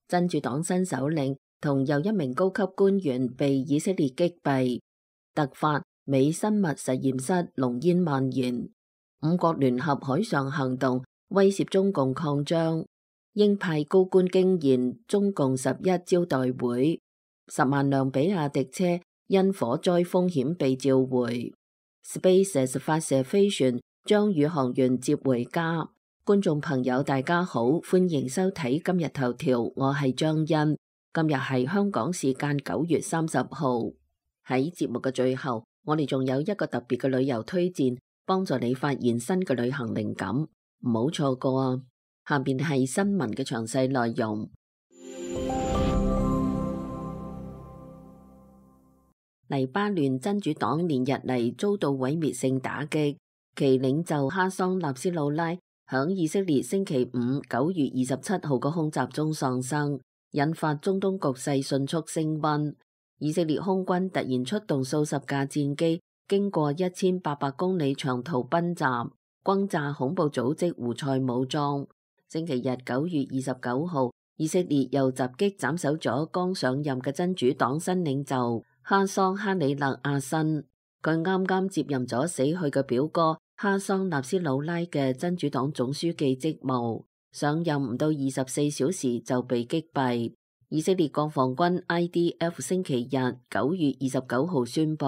真主黨新首領同又一名高級官員被以色列擊斃。突發美生物實驗室濃煙蔓延。五國聯合海上行動威脅中共擴張。鷹派高官驚現中共11招待會。10萬輛比亞迪車因火災風險被召回。SpaceX 發射飛船將宇航員接回家。觀眾朋友大家好，歡迎收睇今日頭條，我係張欣。今日係香港時間9月30號。喺節目嘅最後，我哋仲有一個特別嘅旅遊推薦，幫助你發現新嘅旅行靈感，唔好錯過啊！下邊係新聞嘅詳細內容。黎巴嫩真主黨連日嚟遭到毀滅性打擊，其領袖哈桑納斯魯拉響以色列星期五9月27號嘅空襲中喪生，引發中東局勢迅速升溫。以色列空軍突然出動數十架戰機，經過1800公里長途奔襲，轟炸恐怖組織胡塞武裝。星期日9月29號，以色列又襲擊斬首咗剛上任嘅真主黨新領袖哈桑哈里勒阿新。佢啱啱接任咗死去嘅表哥哈桑納斯魯拉嘅真主黨總書記職務，上任唔到24小時就被擊斃。以色列國防軍 IDF 星期日9月29號宣布，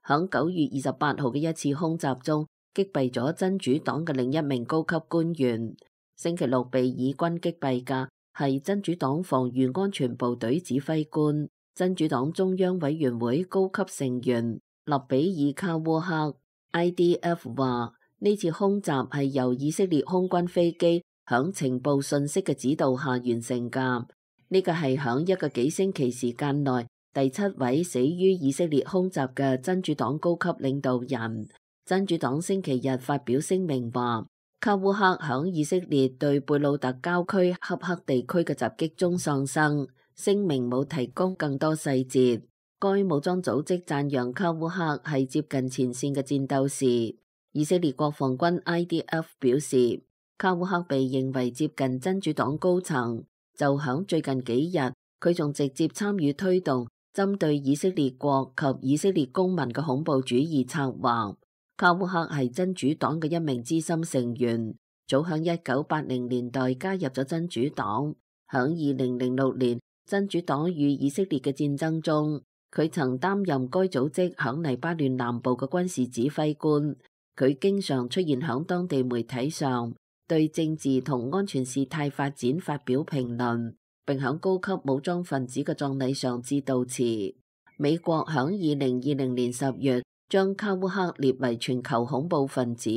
響9月28號嘅一次空襲中擊斃咗真主黨嘅另一名高級官員。星期六被以軍擊斃嘅係真主黨防禦安全部隊指揮官、真主黨中央委員會高級成員勒比爾卡烏克。IDF 話呢次空襲係由以色列空軍飛機響情報信息嘅指導下完成㗎。呢個係響一個幾星期時間內第7位死於以色列空襲嘅真主黨高級領導人。真主黨星期日發表聲明話，卡烏克響以色列對貝魯特郊區恰克地區嘅襲擊中喪生，聲明冇提供更多細節。該武裝組織讚揚卡烏克係接近前線嘅戰鬥士。以色列國防軍 IDF 表示，卡烏克被認為接近真主黨高層，就響最近幾日，佢仲直接參與推動針對以色列國及以色列公民嘅恐怖主義策劃。卡烏克係真主黨嘅一名資深成員，早響1980年代加入咗真主黨。響2006年，真主黨與以色列嘅戰爭中，佢曾擔任該組織響黎巴嫩南部嘅軍事指揮官。佢經常出現響當地媒體上，對政治同安全事態發展發表評論，並響高級武裝分子嘅葬禮上致悼詞。美國響2020年10月將卡烏克列為全球恐怖分子，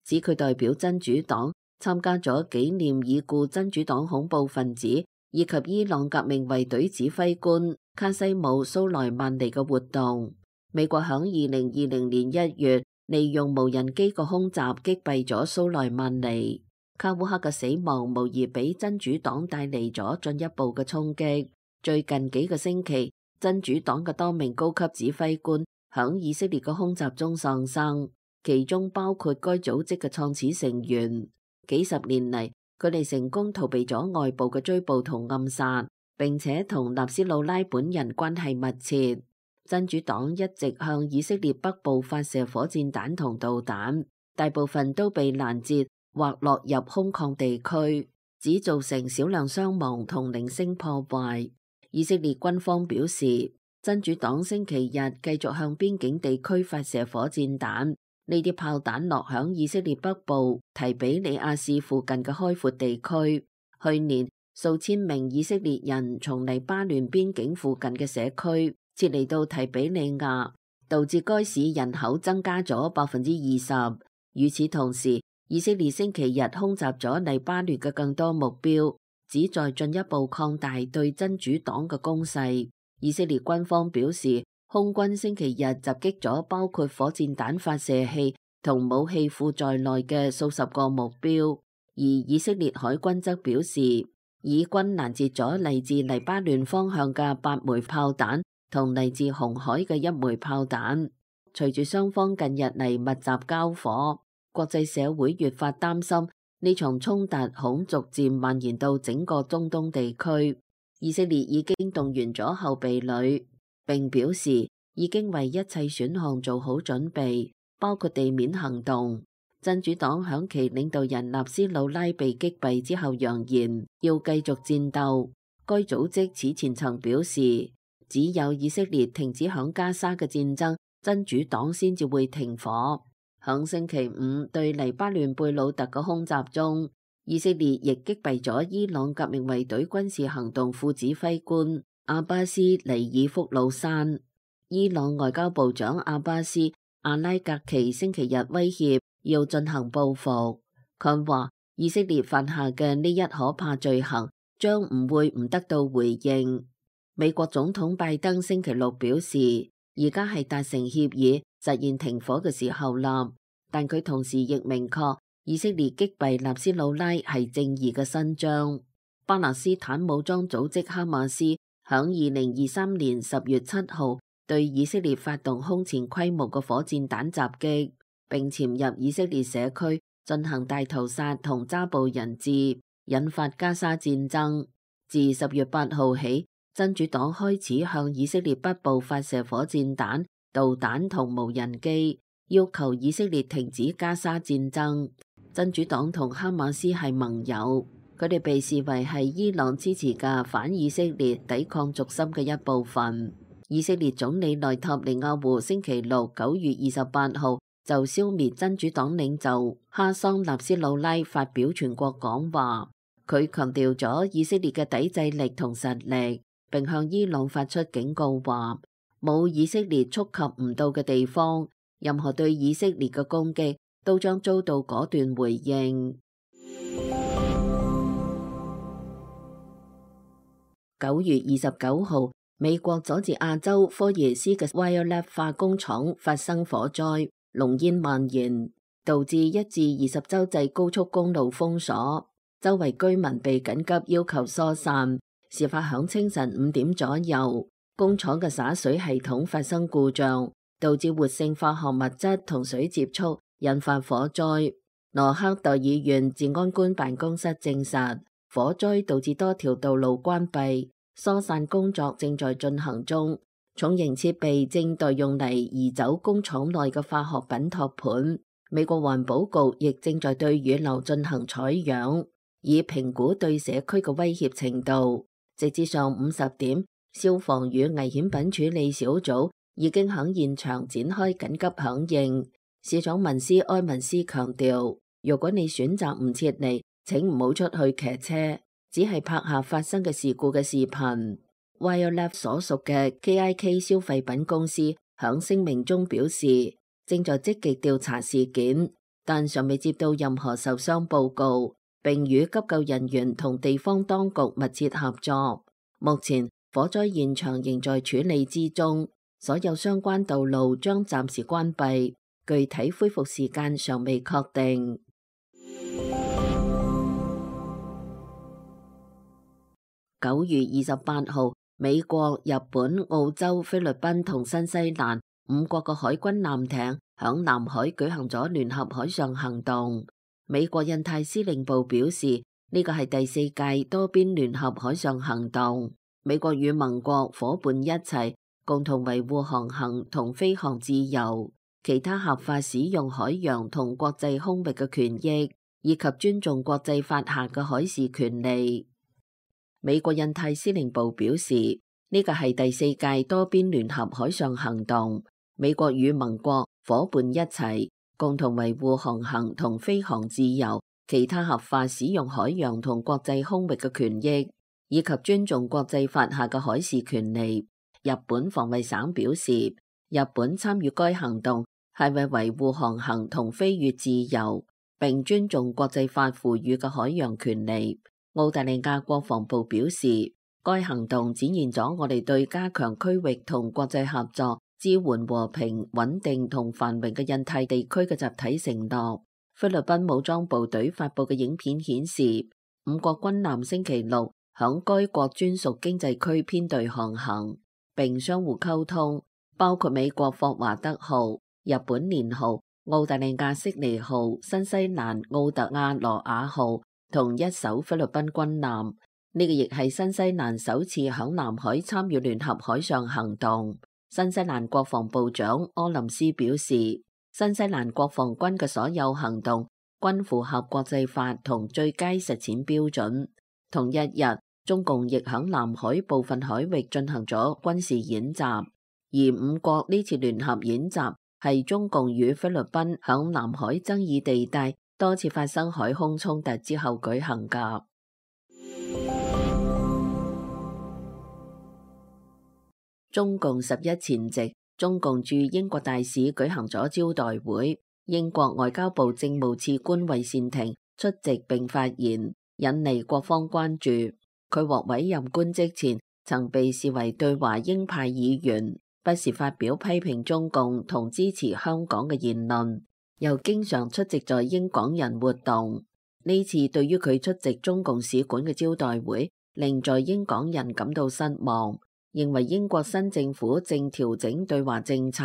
指佢代表真主黨參加咗紀念已故真主黨恐怖分子以及伊朗革命衛隊指揮官卡西姆蘇萊曼尼嘅活動。美國響2020年1月利用無人機個空襲擊斃咗蘇萊曼尼。卡烏克嘅死亡無疑俾真主黨帶嚟咗進一步嘅衝擊。最近幾個星期，真主黨嘅多名高級指揮官響以色列嘅空襲中喪生，其中包括該組織嘅創始成員。幾十年嚟，佢哋成功逃避咗外部嘅追捕同暗殺，並且同納斯魯拉本人關係密切。真主黨一直向以色列北部發射火箭彈同導彈，大部分都被攔截或落入空曠地區，只造成少量傷亡同零星破壞。以色列軍方表示，真主黨星期日繼續向邊境地區發射火箭彈，呢啲炮彈落響以色列北部提比里亞市附近嘅開闊地區。去年數千名以色列人從黎巴嫩邊境附近嘅社區撤離到提比里亞，導致該市人口增加咗20%。與此同時，以色列星期日空襲咗黎巴嫩嘅更多目標，旨在進一步擴大對真主黨嘅攻勢。以色列軍方表示，空軍星期日襲擊咗包括火箭彈發射器同武器庫在內嘅數十個目標，而以色列海軍則表示，以軍攔截咗嚟自黎巴嫩方向嘅8枚炮彈同嚟自紅海嘅1枚炮彈。隨住雙方近日嚟密集交火，國際社會越發擔心呢場衝突恐逐漸蔓延到整個中東地區。以色列已經動員咗後備旅，並表示已經為一切選項做好準備，包括地面行動。真主黨響其領導人納斯魯拉被擊斃之後揚言要繼續戰鬥。該組織此前曾表示，只有以色列停止響加沙嘅戰爭，真主黨先至會停火。響星期五對黎巴嫩貝魯特嘅空襲中，以色列亦擊斃咗伊朗革命衛隊軍事行動副指揮官阿巴斯尼爾福魯山。伊朗外交部長阿巴斯阿拉格奇星期日威脅要進行報復。佢話以色列犯下嘅呢一可怕罪行將唔會唔得到回應。美國總統拜登星期六表示，而家係達成協議實現停火嘅時候啦，但佢同時亦明確以色列擊斃納斯魯拉係正義嘅伸張。巴勒斯坦武裝組織哈馬斯響2023年10月7號對以色列發動空前規模嘅火箭彈襲擊，並潛入以色列社區進行大屠殺同抓捕人質，引發加沙戰爭。自10月8號起，真主黨開始向以色列北部發射火箭彈、導彈同無人機，要求以色列停止加沙戰爭。真主黨同哈馬斯係盟友，佢哋被視為係伊朗支持嘅反以色列抵抗軸心嘅一部分。以色列總理內塔尼亞胡星期六9月28號就消滅真主黨領袖哈桑納斯魯拉發表全國講話，佢強調咗以色列嘅抵制力同實力，並向伊朗發出警告話，冇以色列觸及唔到嘅地方，任何對以色列嘅攻擊都將遭到果斷回應。9月29號，美國佐治亞州科耶斯嘅 Wyolet 化工廠發生火災，濃煙蔓延，導致1至20州際高速公路封鎖，周圍居民被緊急要求疏散。事發響清晨5點左右，工廠嘅灑水系統發生故障，導致活性化學物質同水接觸，引發火災。羅克代爾縣治安官辦公室證實，火災導致多條道路關閉，疏散工作正在進行中。重型設備正待用嚟移走工廠內嘅化學品托盤。美國環保局亦正在對雨流進行採樣，以評估對社區嘅威脅程度。直至上午10點，消防與危險品處理小組已經喺現場展開緊急響應。市長文斯埃文斯強調，如果你選擇唔撤離，請唔好出去騎車，只係拍下發生嘅事故嘅視頻。Wyolet 所屬嘅 KIK 消費品公司響聲明中表示，正在積極調查事件，但尚未接到任何受傷報告，並與急救人員同地方當局密切合作。目前火災現場仍在處理之中，所有相關道路將暫時關閉，具體恢復時間尚未確定。9月28號，美國、日本、澳洲、菲律賓同新西蘭5國嘅海軍艦艇響南海舉行咗聯合海上行動。美國印太司令部表示，呢個係第4屆多邊聯合海上行動。美國與盟國夥伴一齊共同維護航行同飛航自由，其他合法使用海洋同國際空域嘅權益，以及尊重國際法下嘅海事權利。美國印太司令部表示，呢個係第4屆多邊聯合海上行動。美國與盟國夥伴一齊共同維護航行同飛航自由，其他合法使用海洋同國際空域嘅權益，以及尊重國際法下嘅海事權利。日本防衛省表示，日本參與該行動係為維護航行同飛越自由，並尊重國際法賦予嘅海洋權利。澳大利亞國防部表示，該行動展現咗我哋對加強區域同國際合作、支援和平、穩定同繁榮嘅印太地區嘅集體承諾。菲律賓武裝部隊發佈嘅影片顯示，5國軍艦星期六響該國專屬經濟區編隊航行，並相互溝通，包括美國霍華德號、日本蓮號、澳大利亞悉尼號、新西蘭奧特亞羅亞號同1艘菲律賓軍艦。呢個亦係新西蘭首次響南海參與聯合海上行動。新西蘭國防部長柯林斯表示，新西蘭國防軍嘅所有行動均符合國際法同最佳實踐標準。同一日，中共亦響南海部分海域進行咗軍事演習，而五國呢次聯合演習係中共與菲律賓響南海爭議地帶多次發生海空衝突之後舉行㗎。中共11前夕，中共駐英國大使舉行咗招待會，英國外交部政務次官魏善庭出席並發言，引嚟各方關注。佢獲委任官職前，曾被視為對華鷹派議員，不時發表批評中共同支持香港嘅言論，又經常出席在英港人活動。呢次對於佢出席中共使館嘅招待會，令在英港人感到失望，認為英國新政府正調整對華政策，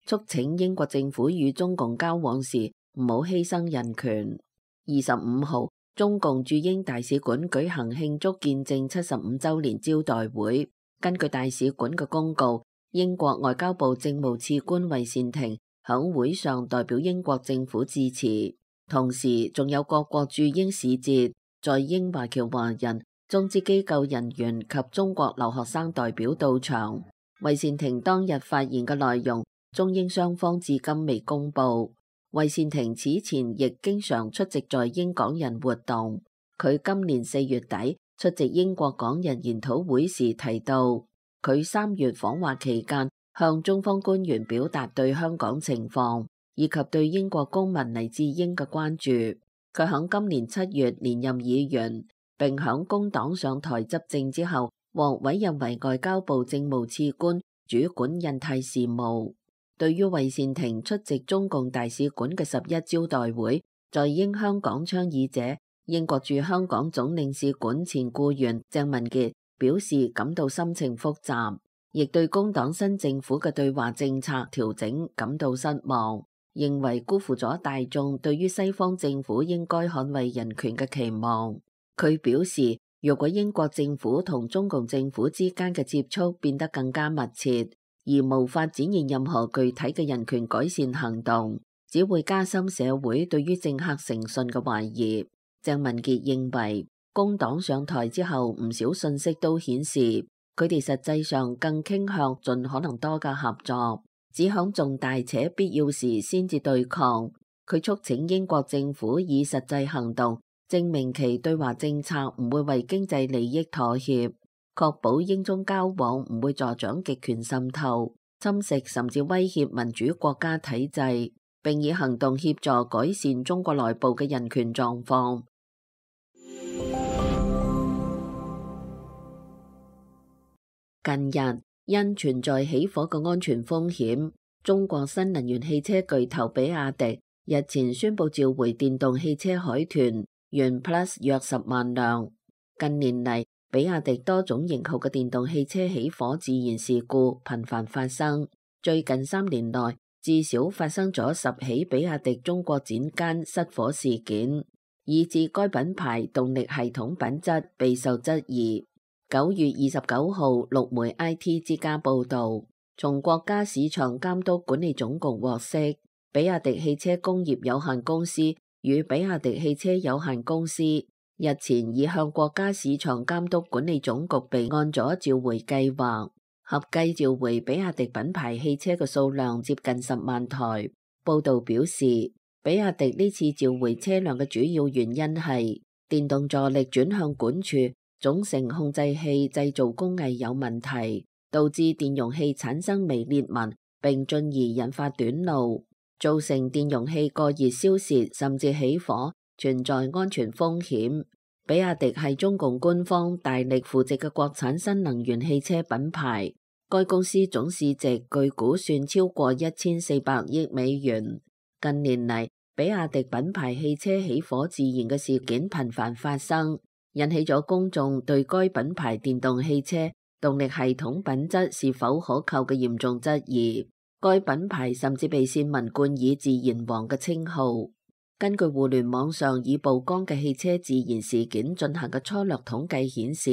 促請英國政府與中共交往時唔好犧牲人權。25號，中共駐英大使館舉行慶祝建政75週年招待會。根據大使館嘅公告，英國外交部政務次官魏善庭響會上代表英國政府致辭，同時仲有各國駐英使節、在英華僑華人、中資機構人員及中國留學生代表到場。魏善庭當日發言嘅內容，中英雙方至今未公布。魏善庭此前亦經常出席在英港人活動。佢今年4月底出席英國港人研討會時提到，佢3月訪華期間向中方官員表達對香港情況以及對英國公民黎智英嘅關注。佢響今年7月連任議員，並響工黨上台執政之後，獲委任為外交部政務次官，主管印太事務。對於魏善庭出席中共大使館嘅11招待會，在英香港倡議者、英國駐香港總領事館前僱員鄭文傑表示感到心情複雜，亦對工黨新政府嘅對華政策調整感到失望，認為辜負咗大眾對於西方政府應該捍衛人權嘅期望。佢表示，如果英國政府同中共政府之間嘅接觸變得更加密切，而無法展現任何具體嘅人權改善行動，只會加深社會對於政客誠信嘅懷疑。鄭文傑認為，工黨上台之後，唔少信息都顯示，佢哋實際上更傾向盡可能多嘅合作，只響重大且必要時先至對抗。佢促請英國政府以實際行動證明其對華政策唔會為經濟利益妥協，確保英中交往唔會助長極權滲透、侵蝕甚至威脅民主國家體制，並以行動協助改善中國內部嘅人權狀況。近日，因存在起火嘅安全風險，中國新能源汽車巨頭比亞迪日前宣布召回電動汽車海豚元 Plus 約10萬輛。近年嚟，比亞迪多種型號嘅電動汽車起火自燃事故頻繁發生，最近3年內至少發生咗10起比亞迪中國展間失火事件，以致該品牌動力系統品質備受質疑。9月29號，陸媒 IT 之家報道，從國家市場監督管理總局獲悉，比亞迪汽車工業有限公司與比亞迪汽車有限公司日前已向國家市場監督管理總局備案咗召回計劃，合計召回比亞迪品牌汽車嘅數量接近10萬台。報道表示，比亞迪呢次召回車輛嘅主要原因係電動助力轉向管處總成控制器製造工藝有問題，導致電容器產生微裂紋，並進而引發短路，造成電容器過熱燒蝕甚至起火，存在安全風險。比亞迪係中共官方大力扶植嘅國產新能源汽車品牌，該公司總市值據估算超過1400億美元。近年嚟，比亞迪品牌汽車起火自燃嘅事件頻繁發生，引起咗公眾對該品牌電動汽車動力系統品質是否可靠嘅嚴重質疑。該品牌甚至被線民冠以自燃王嘅稱號。根據互聯網上已曝光嘅汽車自燃事件進行嘅粗略統計顯示，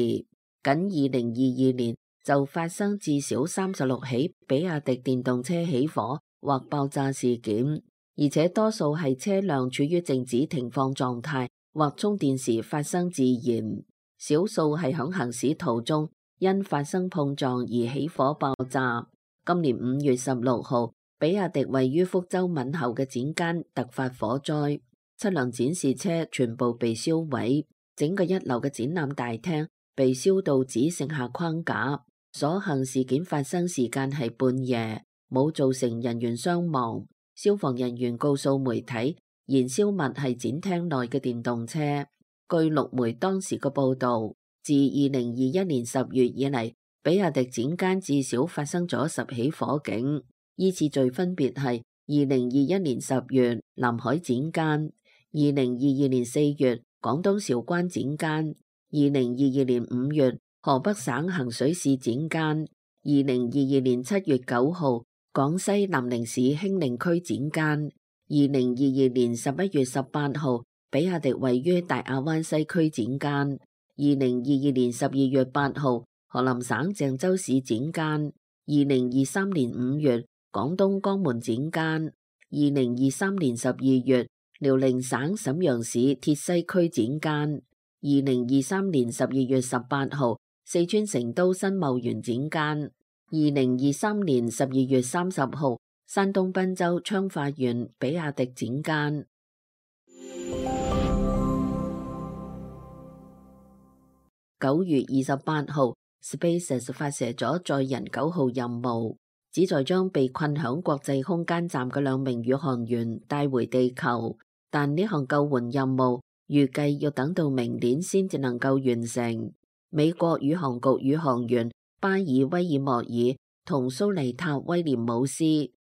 僅2022年就發生至少36起比亞迪電動車起火或爆炸事件，而且多數係車輛處於靜止停放狀態或充電時發生自燃，少數係響行駛途中因發生碰撞而起火爆炸。今年5月16號，比亞迪位於福州閩侯嘅展間突發火災，7輛展示車全部被燒毀，整個1樓嘅展覽大廳被燒到只剩下框架。所幸事件發生時間係半夜，冇造成人員傷亡。消防人員告訴媒體，燃燒物係展廳內嘅電動車。據陸媒當時嘅報導，自2021年10月以嚟，比亞迪展間至少發生咗10起火警，依次序分別係2021年10月南海展間、2022年4月廣東韶關展間、2022年5月河北省衡水市展間、2022年7月9號廣西南寧市興寧區展間、2022年11月18號比亞迪位於大亞灣西區展間、2022年12月8號河南省鄭州市展間、2023年5月廣東江門展間、2023年12月遼寧省瀋陽市鐵西區展間、2023年12月18號四川成都新茂園展間、2023年12月30號山東濱州昌化縣比亞迪展間。9月28號 SpaceX 發射咗載人9號任務，旨在將被困響國際空間站嘅2名宇航員帶回地球，但呢項救援任務預計要等到明年先至能夠完成。美國宇航局宇航員巴爾威爾莫爾同蘇利塔威廉姆斯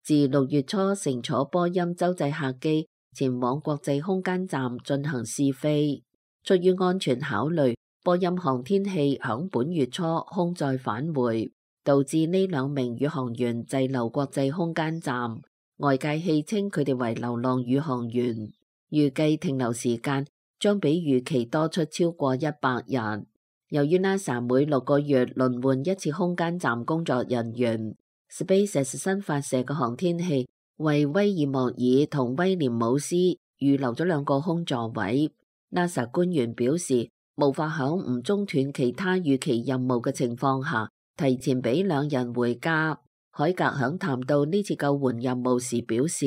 自6月初乘坐波音洲際客機前往國際空間站進行試飛。出於安全考慮，波音航天器響本月初空載返回，導致呢2名宇航員滯留國際空間站。外界戲稱佢哋為流浪宇航員，預計停留時間將比預期多出超過100日。由於 NASA 每6個月輪換一次空間站工作人員， SpaceX 新發射嘅航天器為威爾莫爾同威廉姆斯預留咗2個空座位。NASA 官員表示，無法響唔中斷其他預期任務嘅情況下提前俾2人回家。海格響談到呢次救援任務時表示，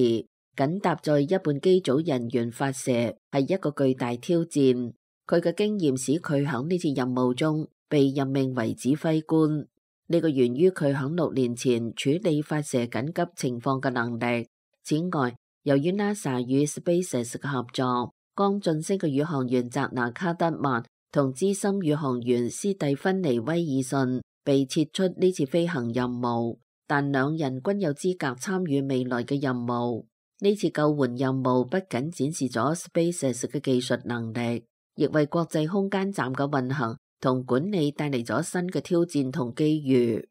緊搭載一半機組人員發射係一個巨大挑戰。佢嘅經驗使佢響呢次任務中被任命為指揮官，呢個源於佢響6年前處理發射緊急情況嘅能力。此外，由於 NASA 與 SpaceX 嘅合作，剛晉升嘅宇航員澤拿卡德曼同資深宇航員斯蒂芬尼威爾遜被撤出呢次飛行任務，但2人均有資格參與未來嘅任務。呢次救援任務不僅展示咗 SpaceX 嘅技術能力，亦為國際空間站嘅運行同管理帶嚟咗新嘅挑戰同機遇。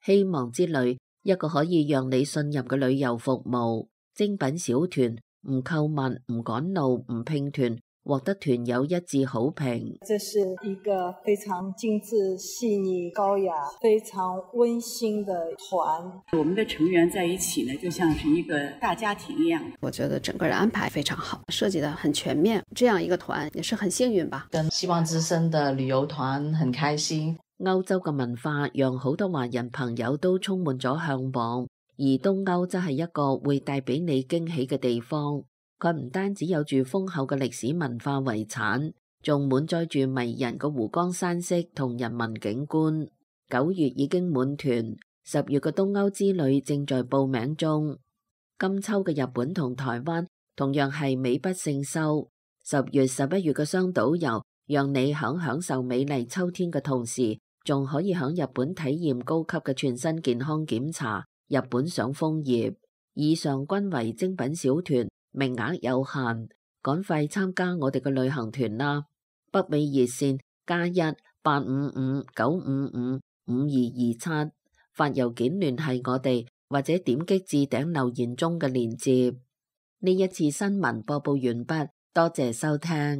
希望之旅，一個可以讓你信任嘅旅遊服務，精品小團，唔購物，唔趕路，唔拼團，獲得團友一致好評。這是一個非常精緻、細膩、高雅、非常溫馨的團。我們的成員在一起呢，就像是一個大家庭一樣。我覺得整個的安排非常好，設計得很全面。這樣一個團也是很幸運吧。跟希望之聲的旅遊團很開心。歐洲嘅文化讓好多華人朋友都充滿咗向往，而東歐則係一個會帶俾你驚喜嘅地方。佢唔單止有住豐厚嘅歷史文化遺產，仲滿載住迷人嘅湖光山色同人文景觀。9月已經滿團，10月嘅東歐之旅正在報名中。今秋嘅日本同台灣同樣係美不勝收。10月、11月嘅雙島遊，讓你喺享受美麗秋天嘅同時，仲可以喺日本體驗高級嘅全身健康檢查、日本賞楓葉。以上均為精品小團，名額有限，趕快參加我哋嘅旅行團啦！北美熱線+1-855-955-5227，發郵件聯繫我哋，或者點擊置頂留言中嘅鏈接。呢一次新聞播報完畢，多謝收聽。